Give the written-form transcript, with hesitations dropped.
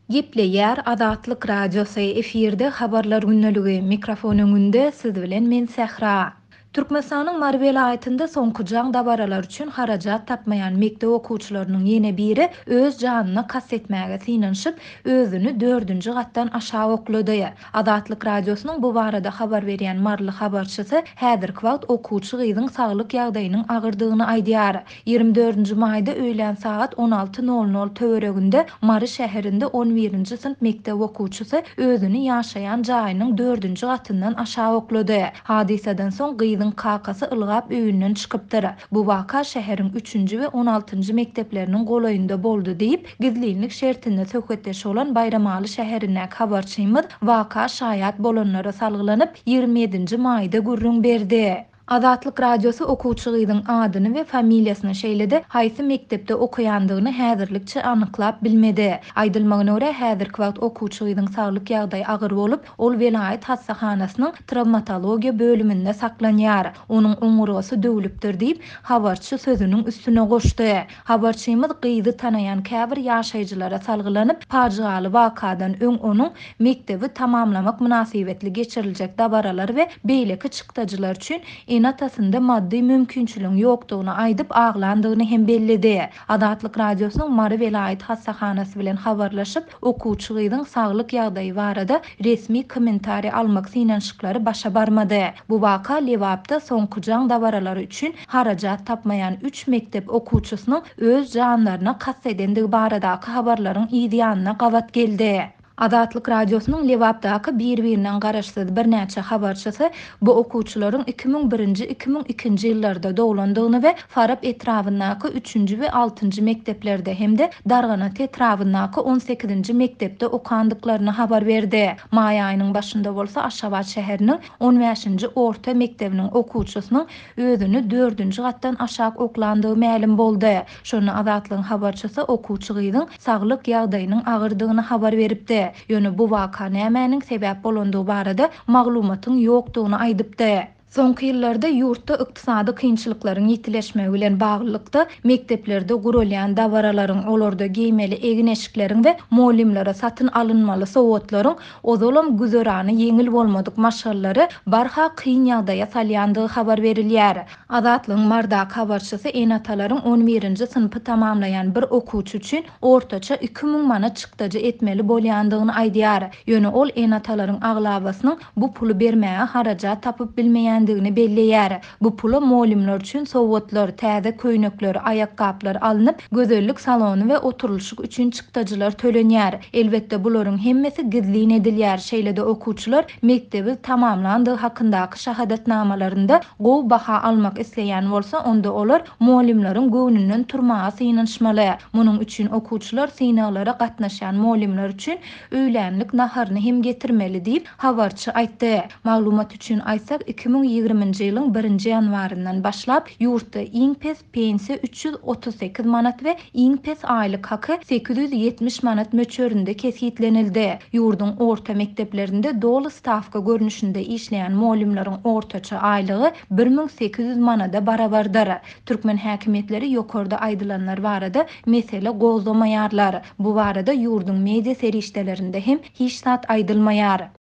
Gepleýär Azatlyk Radiosy, efirde Habarlar gündeligi, mikrofon öňünde siz bilen men Sähra. Türkmenistanyň Mary welaýatynda soňky jaň dabaralary üçin harajat tapmaýan mekdep okuwçylarynyň ýene biri öz janyna kast etmäge synanyşyp, özüni dördünji gatdan aşak oklady. Azatlyk Radiosynyň bu barada habar berýän maryly habarçysy häzirki wagt okuwçy gyzyň saglyk ýagdaýynyň agyrdygyny aýdýar. 24-nji maýda öýlän sagat 16 nol nol töwereginde Mary şäherinde on birinji synp mekdep okuwçysy özüni ýaşaýan jaýynyň dördünji gatyndan aşak oklady. Hadysadan soň gyzyň kakasy ylgap öýünden çykypdyr. Bu waka şäheriň üçünji we on altynjy mekdepleriniň golaýynda boldy diýip, gizlinlik şertinde söhbetdeş bolan Baýramaly şäherindäki habarçymyz waka şaýat bolanlara salgylanyp, 27-nji maýda gürrüň berdi. Azatlyk Radiosy okuwçy gyzyň adyny we familiýasyny, şeýle-de haýsy mekdepde okaýandygyny häzirlikçe anyklap bilmedi. Aýdylmagyna görä, häzirki wagt okuwçy gyzyň saglyk ýagdaýy agyr bolup, Ol welaýat hassahanasynyň trawmatologiýa bölüminde saklanýar. Onuň oňurgasy döwlüpdir diýip, habarçy sözüniň üstüne goşdy. Habarçymyz gyzy tanaýan käbir ýaşaýjylara salgylanyp, pajygaly wakadan öň onuň mekdebi tamamlamak mynasybetli geçiriljek dabaralar we beýleki çykdajylar üçin ene-atasynda maddy mümkinçiligiň ýokdugyny aýdyp aglandygyny hem belledi. Azatlyk Radiosynyň Mary welaýat hassahanasy bilen habarlaşyp, okuwçy gyzyň saglyk ýagdaýy barada resmi kommentariý almak synanyşyklary başa barmady. Bu waka Lebapda soňky jaň dabaralary üçin harajat tapmaýan üç mekdep okuwçysynyň öz janlaryna kast edendigi baradaky habarlaryň yz ýanyna gabat geldi. Azatlyk Radiosynyň Lebapdaky bir-birinden garaşsyz birnäçe habarçysy bu okuwçylaryň 2001-nji, 2002-nji ýyllarda doglandygyny we Farap etrabyndaky üçünji we altynjy mekdeplerde hem-de Darganata etrabyndaky on sekizinji mekdepde okandyklaryny habar berdi. Maý aýynyň başynda bolsa Aşgabat şäheriniň on bäşinji orta mekdebiniň okuwçysynyň özüni dördünji gatdan aşak oklandygy mälim boldy. Şonda Azatlygyň habarçysy okuwçy gyzyň saglyk ýagdaýynyň agyrdygyny habar beripdi. Ýöne bu waka nämäniň sebäp bolandygy barada maglumatyň ýokdugyny aýdypdy. Soňky ýyllarda ýurtda ykdysady kynçylyklaryň ýitileşmegi bilen baglylykda, mekdeplerde guralýan dabaralaryň, olarda geýmeli egin-eşikleriň we mugallymlara satyn alynmaly sowgatlaryň ozalam güzerany ýeňil bolmadyk maşgalalary barha kyn ýagdaýa salýandygy habar berilýär. Azatlygyň Marydaky habarçysy ene-atalaryň on birinji synpy tamamlaýan bir okuwçy üçin ortaça 2000 manat çykdajy etmeli bolýandygyny aýdýar. Ýöne ol ene-atalaryň aglabasynyň bu puly bermäge harajat tapyp bilmeýändigini belleýär. Bu pula mugallymlar üçin sowgatlar, täze köýnekler, aýakgaplar alnyp, gözellik salony we oturylyşyk üçin çykdajylar tölenýär. Elbetde, bularyň hemmesi gizlin edilýär, şeýle-de okuwçylar mekdebi tamamlandygy hakyndaky şahadatnamalarynda gowy baha almak isleýän bolsa, onda olar mugallymlaryň göwnünden turmaga synanyşmaly. Munuň üçin okuwçylar synaglara gatnaşýan mugallymlar üçin öýlänlik naharyny hem getirmeli diýip, habarçy aýtdy. Maglumat üçin aýtsak, 2020-nji ýylyň birinji ýanwaryndan başlap, ýurtda iň pes pensiýa 338 manat we iň pes aýlyk haky 870 manat möçberinde kesgitlenildi. Ýurduň orta mekdeplerinde doly stawka görnüşinde işleýän mugallymlaryň ortaça aýlygy 1800 manada barabardyr. Türkmen häkimiýetleri ýokarda aýdylanlar barada mesele gozgamaýarlar. Bu barada ýurduň media serişdelerinde hem hiç zat aýdylmaýar.